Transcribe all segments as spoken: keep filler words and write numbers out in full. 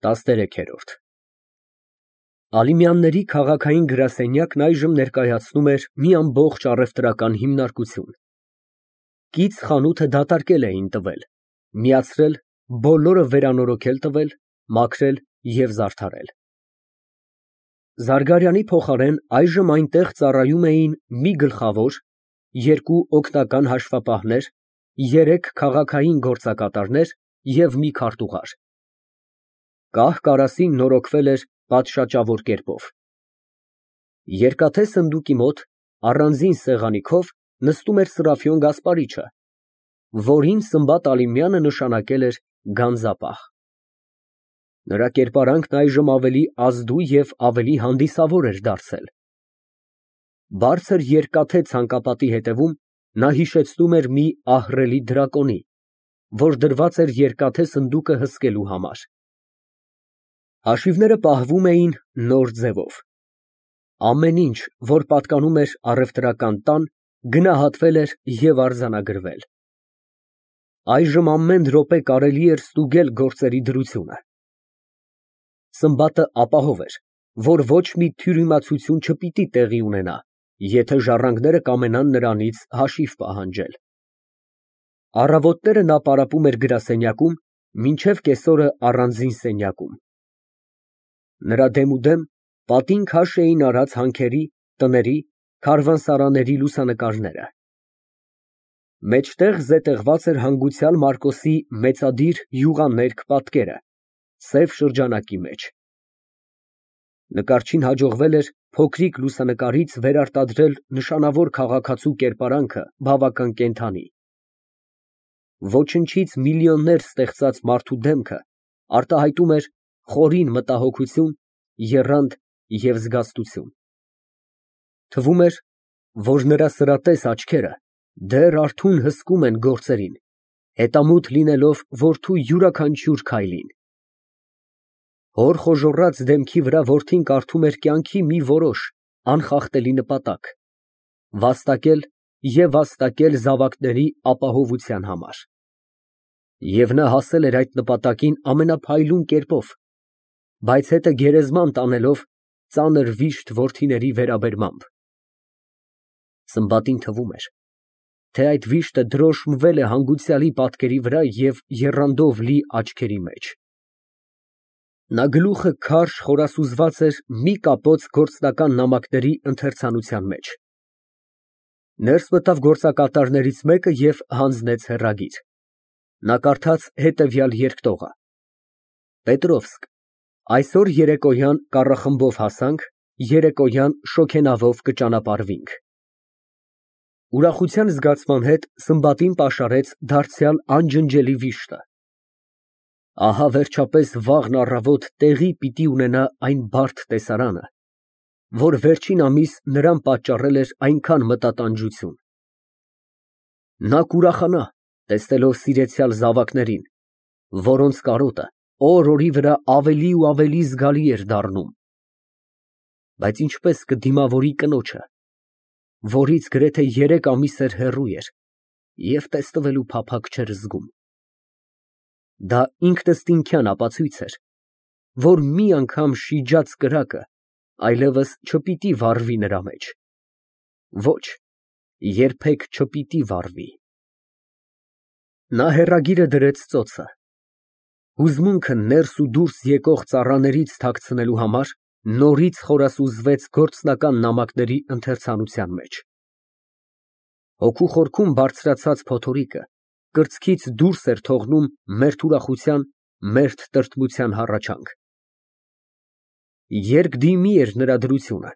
տասներեքերորդ Ալիմյանների քաղաքային գրասենյակն այժմ ներկայացնում էր մի ամբողջ առևտրական հիմնարկություն. կից խանութը դատարկել էին տվել, միացրել, բոլորը վերանորոգել տվել, մաքրել և զարդարել։ Զարգարյանի փոխարեն այժմ այնտեղ ծառայում էին մի գլխավոր, երկու օգնական հաշվապահներ, երեք քաղաքային գործակատարներ և մի քարտուղար։ Կահ֊կարասին նորոգվել էր պատշաճավոր կերպով։ Երկաթե սնդուկի մոտ, առանձին սեղանի քով նստում էր Սրափիոն Գասպարիչը, որին Սմբատ Ալիմյանը նշանակել էր գանձապահ։ Նրա կերպարանքն այժմ ավելի ազդու և ավելի հանդիսավոր էր դարձել։ Բարձր երկաթե ցանկապատի հետևում նա հիշեցնում էր մի ահռելի դրակոնի, որ դրված էր երկաթե սնդուկը հսկելու համար։ Հաշիվները պահվում էին նոր ձևով։ Ամեն ինչ, որ պատկանում էր առևտրական տան, գնահատվել էր և արձանագրվել։ Այժմ ամեն րոպե կարելի էր ստուգել գործերի դրությունը։ Սմբատը ապահով էր, որ ոչ մի թյուրիմացություն չպիտի տեղի ունենա, եթե ժառանգները կամենան նրանից հաշիվ պահանջել։ Առավոտները նա պարապում էր գրասենյակում, մինչև կեսօրը առանձին սենյակում։ Նրա դեմուդեմ պատին քաշ էին արած հանքերի, տների, քարավանսարանների լուսանկարները։ Մեջտեղ զետեղված էր հանգուցյալ Մարկոսի մեծադիր յուղաներկ պատկերը, սև շրջանակի մեջ։ Նկարչին հաջողվել էր փոքրիկ լուսանկարից վերարտադրել նշանավոր քաղաքացու կերպարանքը բավական կենդանի։ Ոչնչից միլիոններ ստեղծած մարդու դեմքը արտահայտում էր խորին մտահոգություն, եռանդ և զգաստություն։ Թվում էր, որ նրա սրատես աչքերը դեռ արթուն հսկում են գործերին, հետամուտ լինելով որդու յուրաքանչյուր քայլին։ Հոր խոժոռած դեմքի վրա որդին կարդում էր կյանքի մի որոշ, անխախտելի նպատակ՝ վաստակել և վաստակել զավակների ապահովության համար։ Եվ նա հասել էր այդ նպատակին ամենափայլուն կերպով, բայց հետը գերեզման տանելով ծանր վիշտ որդիների վերաբերմամբ։ Սմբատին թվում էր, թե այդ վիշտը դրոշմվել է հանգուցյալի պատկերի վրա և եռանդով լի աչքերի մեջ։ Նա գլուխը քարշ խորասուզված էր մի կապոց գործնական նամակների ընթերցանության մեջ։ Ներս մտավ գործակատարներից մեկը և հանձնեց հեռագիր։ Նա կարդաց հետևյալ երկտողը. Պետրովսկ, այսօր երեկոյան կառախմբով հասանք, երեկոյան շոգենավով կճանապարհվենք։ Ուրախության զգացման հետ Սմբատին պաշարեց դարձյալ անջնջելի վիշտը։ Ահա վերջապես վաղն առավոտ տեղի պիտի ունենա այն բարդ տեսարանը, որ վերջին ամիս նրան պատճառել էր այնքան մտատանջություն։ Նա կուրախանա, տեսնելով սիրեցյալ զավակներին, որոնց կարոտը օր֊օրի վրա ավելի ու ավելի զգալի էր դառնում։ Բայց ինչպես կդիմավորի կնոջը, որից գրեթե երեք ամիս էր հեռու էր և տեսնվելու փափագ չէր զգում։ Դա ինքնըստինքյան ապացույց էր, որ մի անգամ շիջած կրակը այլևս չպիտի վառվի նրա մեջ։ Ոչ, երբեք չպիտի վառվի։ Նա հեռագիրը դրեց ծոցը։ Հուզմունքը ներս ու դուրս եկող ծառաներից թաքցնելու համար նորից խորասուզվեց գործնական նամակների ընթերցանության մեջ։ Հոգու խորքում բարձրացած փոթորիկը կրծքից դուրս էր թողնում մերթ ուրախության, մերթ տրտմության հառաչանք։ Երկդիմի էր նրա դրությունը,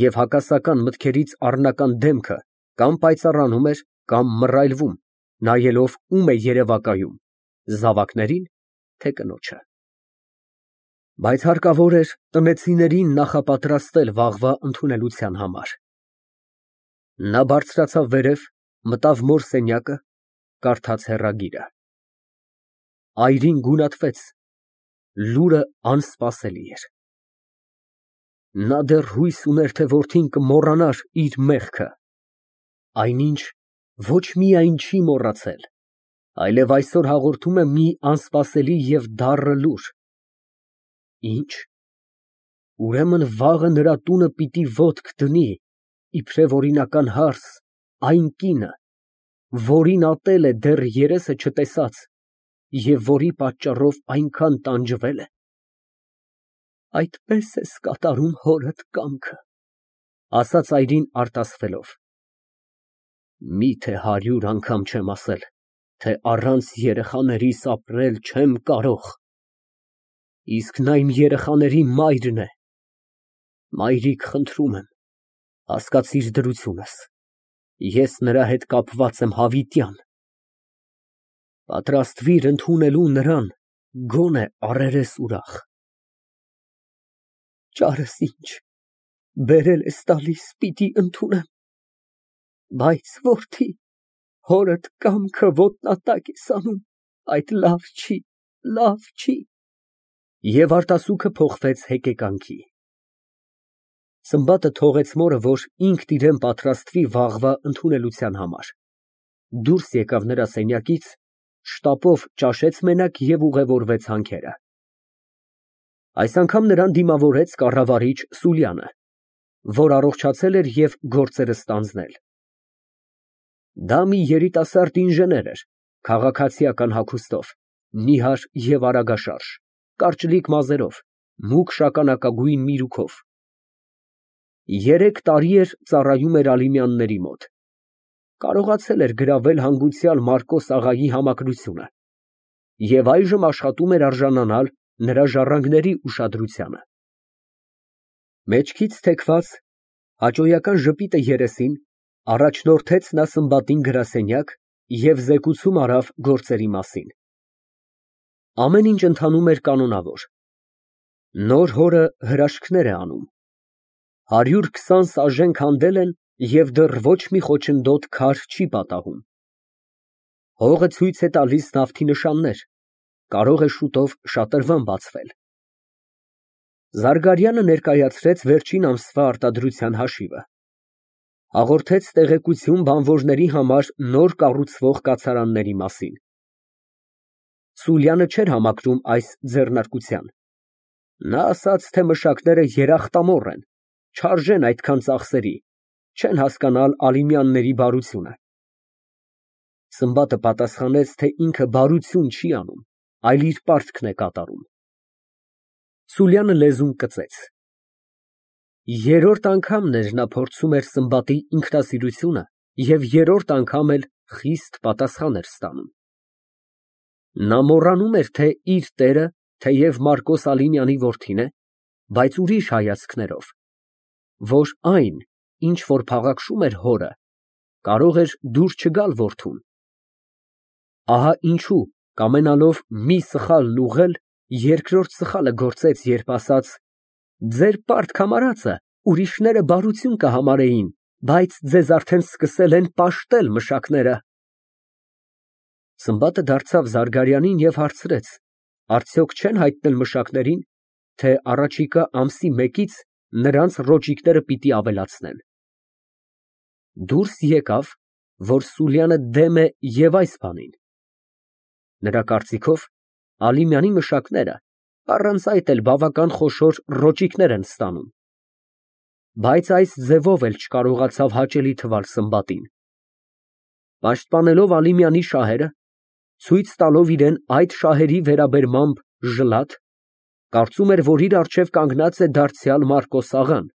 և հակասական մտքերից առնական դեմքը կամ պայծառանում էր, կամ մռայլվում, նայելով ում է երևակայում, զավակների՞ն, թե կնոջը։ Բայց հարկավոր էր տնեցիներին նախապատրաստել վաղվա ընդունելության համար։ Նա բարձրացավ վերև, մտավ մոր սենյակը, կարդաց հեռագիրը։ Այրին գունատվեց, լուրը անսպասելի էր։ Նա դեռ հույս ուներ, թե որդին կմոռանար իր մեղքը։ Այնինչ, ոչ միայն չի մոռացել, այլև այսօր հաղորդում է մի անսպասելի և դառը լուր։ Ի՞նչ։ Ուրեմն վաղը նրա տունը պիտի ոտք դնի, իբրև օրինական հարս, այն կինը, որին ատել է դեռ երեսը չտեսած և որի պատճառով այնքան տանջվել է։ Այդպես ես կատարում հորդ կամքը, ասաց այրին արտասվելով։ Միթե հարյուր անգամ չեմ ասել, թե առանց երեխաներիս ապրել չեմ կարող։ Իսկ նա իմ երեխաների մայրն է։ Մայրիկ, խնդրում եմ, հասկացիր դրությունս, ես նրա հետ կապված եմ հավիտյան։ Պատրաստվիր ընդունելու նրան, գոնե առերես ուրախ։ Ճարս ինչ, բերել ես տալիս, պիտի ընդունեմ, բայց որդի, հորդ կամքը ոտնատակ ես անում, այդ լավ չի, լավ չի։ Եվ արտասուքը փոխվեց հեկեկանքի։ Սմբատը թողեց մորը, որ ինքն իրան պատրաստվի վաղվա ընդունելության համար, դուրս եկավ նրա սենյակից, շտապով ճաշեց մենակ և ուղևորվեց հանքերը։ Այս անգամ նրան դիմավորեց կառավարիչ Սուլյանը, որ առողջացել էր և գործերը ստանձնել։ Դա մի երիտասարդ ինժեներ էր, քաղաքացիական հագուստով, նիհար և արագաշարժ, կարճլիկ մազերով, մուգ շագանակագույն միրուքով։ Երեք տարի էր ծառայում էր Ալիմյանների մոտ, կարողացել էր գրավել հանգուցյալ Մարկոս աղայի համակրությունը և այժմ աշխատում էր արժանանալ նրա ժառանգների ուշադրությանը։ Մեջքից թեքված, հաճոյական ժպիտը երեսին, առաջնորդեց նա Սմբատին գրասենյակ և զեկուցում արավ գործերի մասին։ Ամեն ինչ ընթանում էր կանոնավոր։ Նոր հորը հրաշքներ է անում։ Հարյուր քսան սաժեն քանդել են և դեռ ոչ մի խոչընդոտ քար չի պատահում։ Հողը ցույց է տալիս նավթի նշաններ, կարող է շուտով շատրվան բացվել։ Զարգարյանը ներկայացրեց վերջին ամսվա արտադրության հաշիվը, հաղորդեց տեղեկություն բանվորների համար նոր կառուցվող կացարանների մասին։ Սուլյանը չէր համակրում այս ձեռնարկության։ Նա ասաց, թե մշակները երախտամոռ են, չարժեն այդքան ծախսերի, չեն հասկանալ Ալիմյանների բարությունը։ Սմբատը պատասխանեց, թե ինքը բարություն չի անում, այլ իր պարտքն է կատարում։ Սուլյանը լեզուն կծեց։ Երրորդ անգամն էր նա փորձում էր Սմբատի ինքնասիրությունը և երրորդ անգամ էլ խիստ պատասխան էր ստանում։ Նա մոռանում էր, թե իր տերը թեև Մարկոս Ալիմյանի որդին է, բայց ուրիշ հայացքներով, որ այն, ինչ որ փաղաքշում էր հորը, կարող էր դուր չգալ որդուն։ Ահա ինչու, կամենալով մի սխալն ուղղել, երկրորդ սխալը գործեց, երբ ասաց. «Ձեր պարտք համարածը ուրիշները բարություն կհամարեին, բայց ձեզ արդեն սկսել են պաշտել մշակները»։ Սմբատը դարձավ Զարգարյանին և հարցրեց. արդյոք չեն հայտնել մշակներին, թե առաջիկա ամսի մեկից նրանց ռոճիկները պիտի ավելացնեն։ Դուրս եկավ, որ Սուլյանը դեմ է և այս բանին։ Նրա կարծիքով, Ալիմյանի մշակները առանց այդ էլ բավական խոշոր ռոճիկներ են ստանում։ Բայց այս ձևով էլ չկարողացավ հաճելի թվալ Սմբատին։ Պաշտպանելով Ալիմյանի շահերը, ցույց տալով իրան այդ շահերի վերաբերմամբ ժլատ, կարծում էր, որ իր առջև կանգնած է դարձյալ Մարկոս աղան,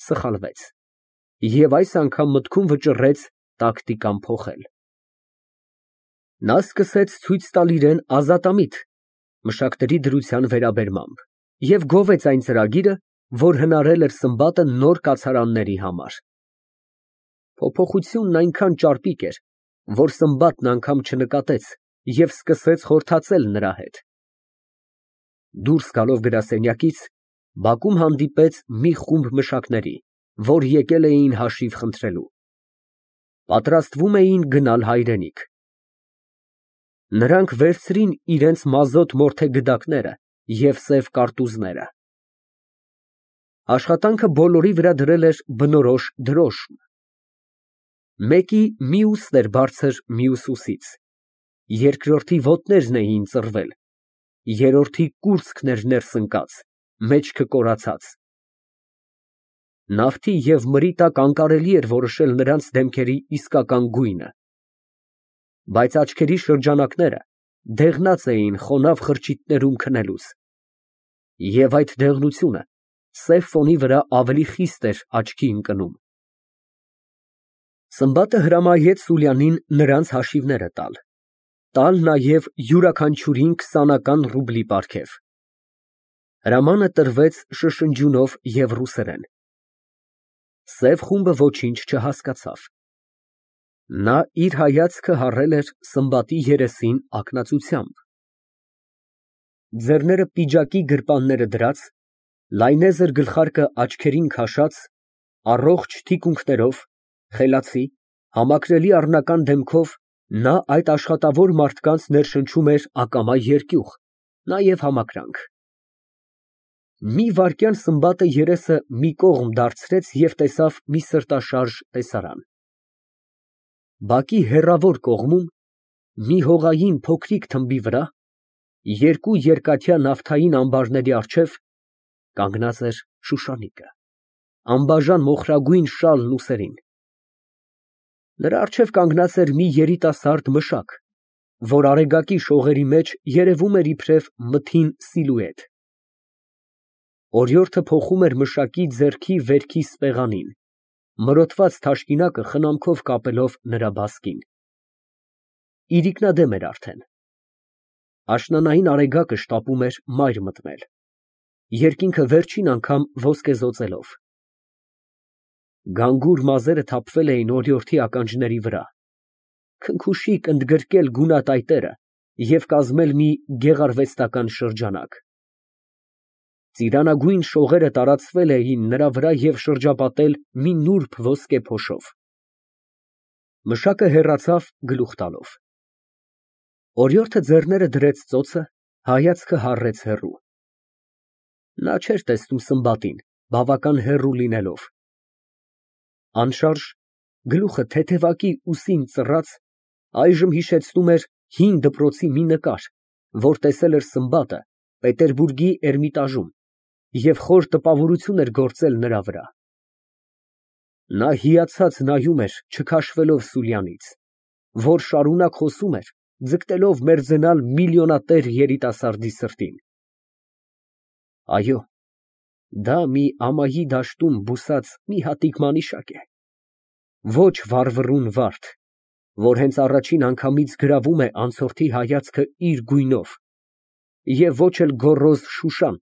սխալվեց և այս անգամ մտքում վճռեց տակտիկան փոխել։ Նա սկսեց ցույց տալ իրան ազատամիտ մշակների դրության վերաբերմամբ և գովեց այն ծրագիրը, որ հնարել էր Սմբատը նոր կացարանների համար։ Փոփոխությունն այնքան ճարպիկ էր, որ Սմբատն անգամ չնկատեց և սկսեց խորհրդածել նրա հետ։ Դուրս գալով գրասենյակից, բակում հանդիպեց մի խումբ մշակների, որ եկել էին հաշիվ խնդրելու։ Պատրաստվում էին գնալ հայրենիք։ Նրանք վերցրին իրենց մազոտ մորթե գդակները և սև կարտուզները։ Աշխատանքը բոլորի վրա դրել էր բնորոշ դրոշմ։ Մեկի մյուսն էր բարձր մյուս ուսից, երկրորդի ոտներն էին ծռվել, երրորդի կուրծքն էր ներս ընկած, մեջքը կորացած։ Նավթի և մրի տակ անկարելի էր որոշել նրանց դեմքերի իսկական գույնը, բայց աչքերի շրջանակները դեղնած էին խոնավ խրճիթներում քնելուց, և այդ դեղնությունը սև ֆոնի վրա ավելի խիստ էր աչքի ընկնում։ Սմբատը հրամայեց Սուլյանին նրանց հաշիվները տալ, տալ նաև յուրաքանչյուրին քսանական ռուբլի պարգև։ Հրամանը տրվեց շշնջյունով և ռուսերեն։ Սև խումբը ոչինչ չհասկացավ։ Նա իր հայացքը հառել էր Սմբատի երեսին ակնածությամբ։ Ձեռները պիջակի գրպանները դրած, լայնեզր գլխարկը աչքերին քաշած, առողջ թիկունքներով, խելացի, համակրելի առնական դեմքով նա այդ աշխատավոր մարդկանց ներշնչում էր ակամա երկյուղ, նաև համակրանք։ Մի վայրկյան Սմբատը երեսը մի կողմ դարձրեց և տեսավ մի սրտաշարժ տեսարան։ Բակի հեռավոր կողմում, մի հողային փոքրիկ թմբի վրա, երկու երկաթյա նավթային ամբարների առջև, կանգնած էր Շուշանիկը, անբաժան մոխրագույն շալն ուսերին։ Նրա առջև կանգնած էր մի երիտասարդ մշակ, որ արեգակի շողերի մեջ երևում էր իբրև մթին սիլուետ։ Օրիորդը փոխում էր մշակի ձեռքի վերքի սպեղանին, մրոտված թաշկինակը խնամքով կապելով նրա բասկին։ Իրիկնադեմ էր արդեն։ Աշնանային արեգակը շտապում էր մայր մտնել, երկինքը վերջին անգամ ոսկեզօծելով։ Գանգուր մազերը թափվել էին օրիորդի ականջների վրա, քնքուշիկ ընդգրկել գունատայտերը և կազմել մի գեղարվեստական շրջանակ։ Ծիրանագույն շողերը տարածվել էին նրա վրա և շրջապատել մի նուրբ ոսկե փոշով։ Մշակը հեռացավ գլուխ տալով։ Օրիորդը ձեռները դրեց ծոցը, հայացքը հառեց հեռու։ Նա չէր տեսնում Սմբատին, բավական հեռու լինելով։ Անշարժ, գլուխը թեթևակի ուսին ծռած, այժմ հիշեցնում էր հին դպրոցի մի նկար, որ տեսել էր Սմբատը Պետերբուրգի Էրմիտաժում և խոր տպավորություն էր գործել նրա վրա։ Նա հիացած նայում էր չքաշվելով Սուլյանից, որ շարունակ խոսում էր, ձգտելով մերձենալ միլիոնատեր երիտասարդի սրտին։ Այո, դա մի ամայի դաշտում բուսած մի հատիկ մանիշակ է, ոչ վառվռուն վարդ, որ հենց առաջին անգամից գրավում է անցորդի հայացքը իր գույնով, և ոչ էլ գոռոզ Շուշան,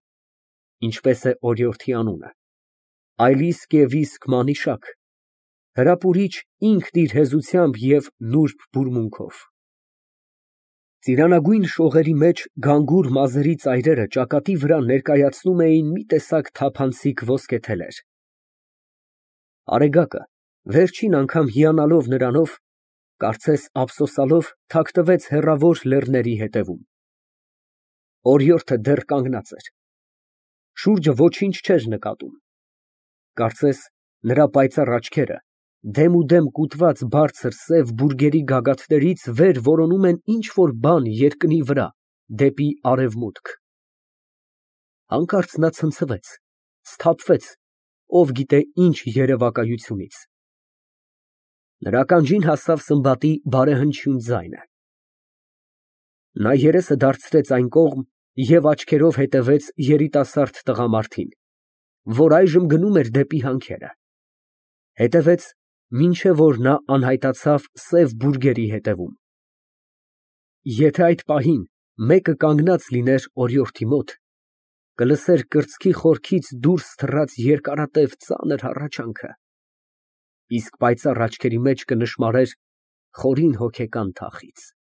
ինչպես է օրիորդի անունը, այլ իսկ և իսկ մանիշակ, հրապուրիչ ինքն իր հեզությամբ և նուրբ բուրմունքով։ Ծիրանագույն շողերի մեջ գանգուր մազերի ծայրերը ճակատի վրա ներկայացնում էին մի տեսակ թափանցիկ ոսկե թելեր։ Արեգակը, վերջին անգամ հիանալով նրանով, կարծես ափսոսալով, թաքնվեց հեռավոր լեռների ետևում։ Օրիորդը դեռ կանգնած էր։ Շուրջը ոչինչ չէր նկատում։ Կարծես նրա պայծառ աչքերը դեմուդեմ կուտված բարձր սև բուրգերի գագաթներից վեր որոնում են ինչ֊որ բան երկնի վրա, դեպի արևմուտք։ Հանկարծ նա ցնցվեց, սթափվեց, ով գիտե ինչ երևակայությունից։ Նրա ականջին հասավ Սմբատի բարեհնչյուն ձայնը։ Նա երեսը դարձրեց այն կողմ և աչքերով հետևեց երիտասարդ տղամարդին, որ այժմ գնում էր դեպի հանքերը։ Հետևեց, մինչև որ նա անհայտացավ սև բուրգերի ետևում։ Եթե այդ պահին մեկը կանգնած լիներ օրիորդի մոտ, կլսեր կրծքի խորքից դուրս թռած երկարատև ծանր հառաչանքը, իսկ պայծառ աչքերի մեջ կնշմարեր խորին հոգեկան թախիծ։